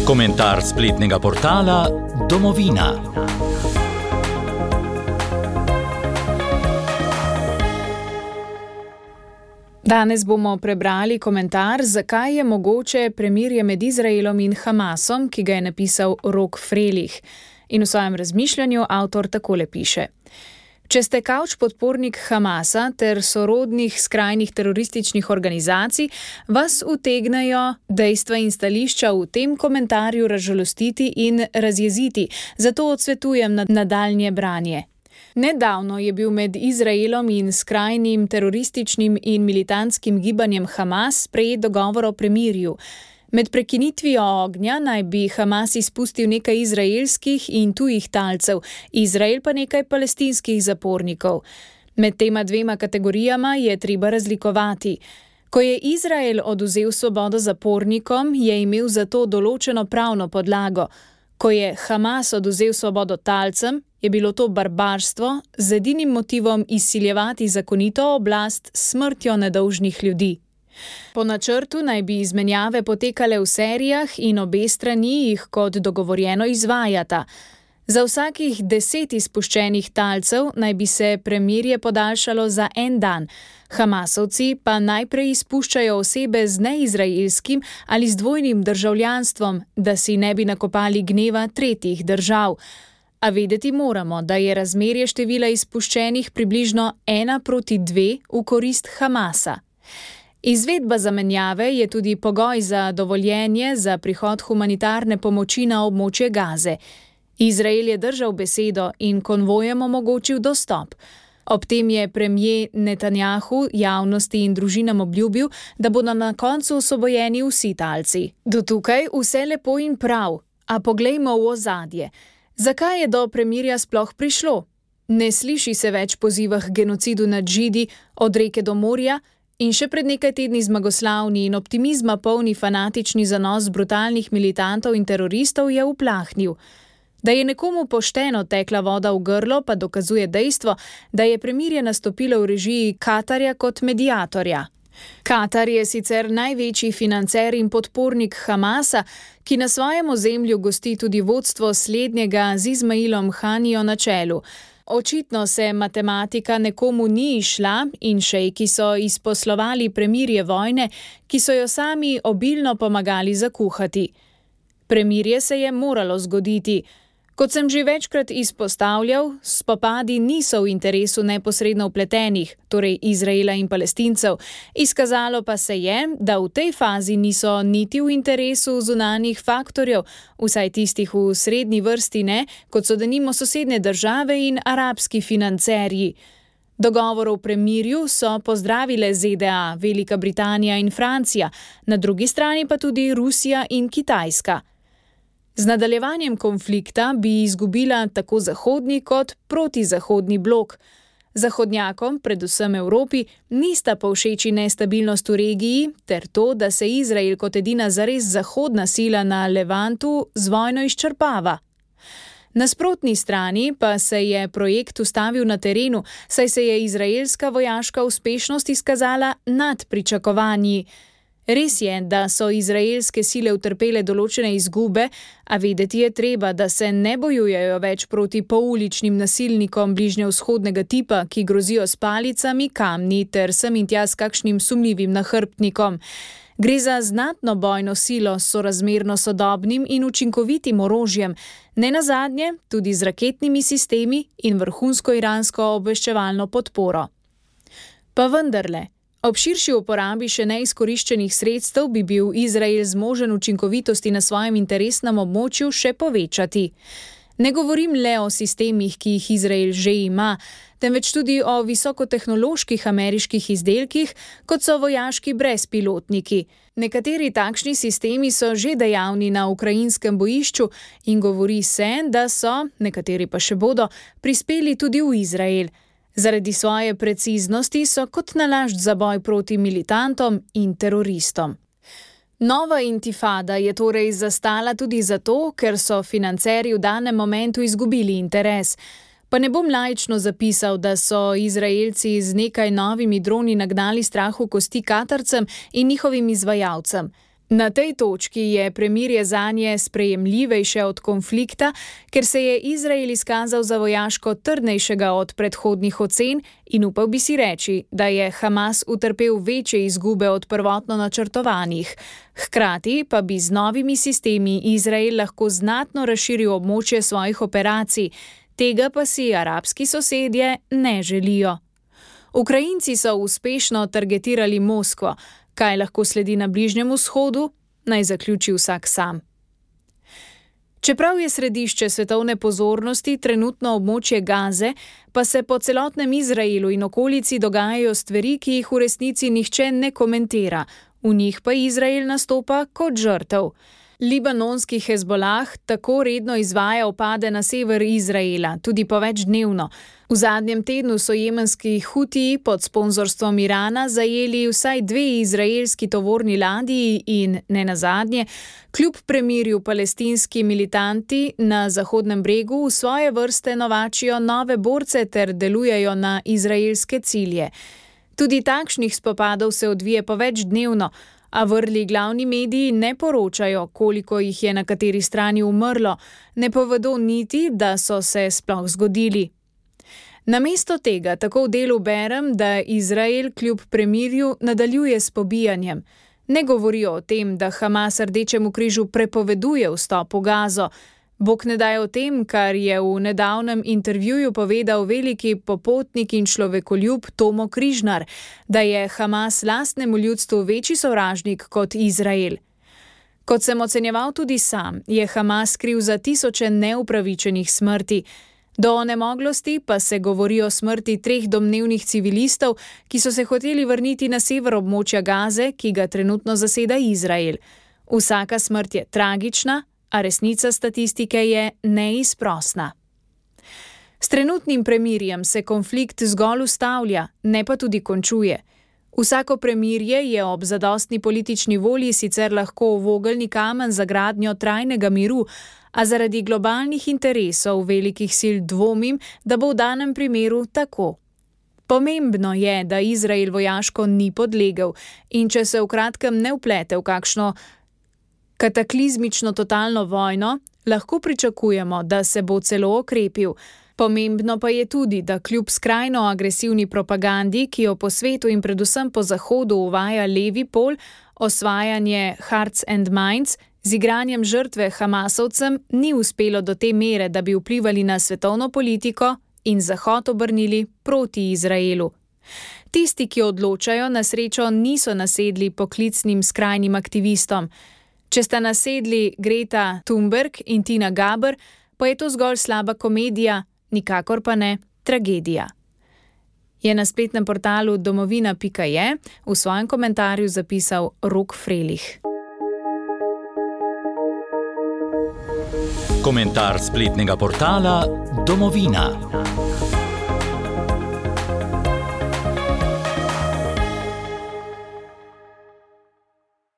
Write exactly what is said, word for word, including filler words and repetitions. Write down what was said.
Komentar spletnega portala Domovina. Danes bomo prebrali komentar, zakaj je mogoče premirje med Izraelom in Hamasom, ki ga je napisal Rok Frelih. In v svojem razmišljanju avtor takole piše. Če ste kavč podpornik Hamasa ter sorodnih skrajnih terorističnih organizacij, vas utegnejo dejstva in stališča v tem komentarju razžalostiti in razjeziti, zato odsvetujem na nadaljnje branje. Nedavno je bil med Izraelom in skrajnim terorističnim in militantskim gibanjem Hamas sprejet dogovor o premirju. Med prekinitvijo ognja naj bi Hamas izpustil nekaj izraelskih in tujih talcev, Izrael pa nekaj palestinskih zapornikov. Med tema dvema kategorijama je treba razlikovati. Ko je Izrael odvzel svobodo zapornikom, je imel za to določeno pravno podlago. Ko je Hamas odvzel svobodo talcem, je bilo to barbarstvo z edinim motivom izsiljevati zakonito oblast s smrtjo nedolžnih ljudi. Po načrtu naj bi izmenjave potekale v serijah in obe strani jih kot dogovorjeno izvajata. Za vsakih deset izpuščenih talcev naj bi se premirje podaljšalo za en dan. Hamasovci pa najprej izpuščajo osebe z neizraelskim ali z dvojnim državljanstvom, da si ne bi nakopali gneva tretjih držav. A vedeti moramo, da je razmerje števila izpuščenih približno ena proti dve v korist Hamasa. Izvedba zamenjave je tudi pogoj za dovoljenje za prihod humanitarne pomoči na območje Gaze. Izrael je držal besedo in konvojem omogočil dostop. Ob tem je premier Netanjahu javnosti in družinam obljubil, da bodo na koncu osvobojeni vsi talci. Do tukaj vse lepo in prav, a poglejmo v ozadje. Zakaj je do premirja sploh prišlo? Ne sliši se več poziva k genocidu nad Židi od reke do morja, in še pred nekaj tedni zmagoslavni in optimizma polni fanatični zanos brutalnih militantov in teroristov je uplahnil. Da je nekomu pošteno tekla voda v grlo, pa dokazuje dejstvo, da je premirje nastopilo v režiji Katarja kot mediatorja. Katar je sicer največji financer in podpornik Hamasa, ki na svojem ozemlju gosti tudi vodstvo slednjega z Izmailom Hanijo na čelu. Očitno se matematika nekomu ni išla in šejki so izposlovali premirje vojne, ki so jo sami obilno pomagali zakuhati. Premirje se je moralo zgoditi. Kot sem že večkrat izpostavljal, spopadi niso v interesu neposredno vpletenih, torej Izraela in Palestincev. Izkazalo pa se je, da v tej fazi niso niti v interesu zunanjih faktorjev, vsaj tistih v srednji vrsti ne, kot so denimo sosednje države in arabski financerji. Dogovor o premirju so pozdravile Z D A, Velika Britanija in Francija, na drugi strani pa tudi Rusija in Kitajska. Z nadaljevanjem konflikta bi izgubila tako zahodni kot protizahodni blok. Zahodnjakom, predvsem Evropi, nista povšeči nestabilnost v regiji ter to, da se Izrael kot edina zares zahodna sila na Levantu z vojno izčrpava. Na nasprotni strani pa se je projekt ustavil na terenu, saj se je izraelska vojaška uspešnost izkazala nad pričakovanji. Res je, da so izraelske sile utrpele določene izgube, a vedeti je treba, da se ne bojujejo več proti pouličnim nasilnikom bližnjevzhodnega tipa, ki grozijo s palicami, kamni ter sem in tja s kakšnim sumljivim nahrbtnikom. Gre za znatno bojno silo s sorazmerno sodobnim in učinkovitim orožjem, nenazadnje tudi z raketnimi sistemi in vrhunsko iransko obveščevalno podporo. Pa vendarle, ob širši uporabi še neizkoriščenih sredstev bi bil Izrael zmožen učinkovitosti na svojem interesnem območju še povečati. Ne govorim le o sistemih, ki jih Izrael že ima, temveč tudi o visokotehnoloških ameriških izdelkih, kot so vojaški brezpilotniki. Nekateri takšni sistemi so že dejavni na ukrajinskem bojišču in govori se, da so, nekateri pa še bodo, prispeli tudi v Izrael. Zaradi svoje preciznosti so kot nalašč za boj proti militantom in teroristom. Nova intifada je torej zastala tudi zato, ker so financerji v danem momentu izgubili interes. Pa ne bom laično zapisal, da so Izraelci z nekaj novimi droni nagnali strah v kosti Katarcem in njihovim izvajalcem. Na tej točki je premirje zanje sprejemljivejše od konflikta, ker se je Izrael izkazal za vojaško trdnejšega od predhodnih ocen in upal bi si reči, da je Hamas utrpel večje izgube od prvotno načrtovanih. Hkrati pa bi z novimi sistemi Izrael lahko znatno razširil območje svojih operacij, tega pa si arabski sosedje ne želijo. Ukrajinci so uspešno targetirali Moskvo. Kaj lahko sledi na Bližnjem vzhodu, naj zaključi vsak sam. Čeprav je središče svetovne pozornosti trenutno območje Gaze, pa se po celotnem Izraelu in okolici dogajajo stvari, ki jih v resnici nihče ne komentira, v njih pa Izrael nastopa kot žrtev. Libanonski Hezbolah tako redno izvaja vpade na sever Izraela, tudi po več dnevno. V zadnjem tednu so jemenski Hutiji pod sponzorstvom Irana zajeli vsaj dve izraelski tovorni ladji in, nenazadnje, kljub premirju palestinski militanti na Zahodnem bregu v svoje vrste novačijo nove borce ter delujejo na izraelske cilje. Tudi takšnih spopadov se odvije po več dnevno, a vrli glavni mediji ne poročajo, koliko jih je na kateri strani umrlo, ne povedo niti, da so se sploh zgodili. Namesto tega tako v delu berem, da Izrael kljub premirju nadaljuje s pobijanjem. Ne govorijo o tem, da Hamas Rdečemu križu prepoveduje vstop v Gazo. Bog ne daj o tem, kar je v nedavnem intervjuju povedal veliki popotnik in človekoljub Tomo Križnar, da je Hamas lastnemu ljudstvu večji sovražnik kot Izrael. Kot sem ocenjeval tudi sam, je Hamas kriv za tisoče neupravičenih smrti. Do onemoglosti pa se govori o smrti treh domnevnih civilistov, ki so se hoteli vrniti na sever območja Gaze, ki ga trenutno zaseda Izrael. Vsaka smrt je tragična, a resnica statistike je neizprosna. S trenutnim premirjem se konflikt zgolj ustavlja, ne pa tudi končuje. Vsako premirje je ob zadostni politični volji sicer lahko vogelni kamen za gradnjo trajnega miru, a zaradi globalnih interesov velikih sil dvomim, da bo v danem primeru tako. Pomembno je, da Izrael vojaško ni podlegel in če se v kratkem ne vplete v kakšno kataklizmično totalno vojno, lahko pričakujemo, da se bo celo okrepil. Pomembno pa je tudi, da kljub skrajno agresivni propagandi, ki jo po svetu in predvsem po Zahodu uvaja levi pol, osvajanje hearts and minds, z igranjem žrtve Hamasovcem ni uspelo do te mere, da bi vplivali na svetovno politiko in Zahod obrnili proti Izraelu. Tisti, ki odločajo, na srečo niso nasedli poklicnim skrajnim aktivistom. Če sta nasedli Greta Thunberg in Tina Gaber, pa je to zgolj slaba komedija, nikakor pa ne tragedija. Je na spletnem portalu domovina pika je v svojem komentarju zapisal Rok Frelih. Komentar spletnega portala Domovina.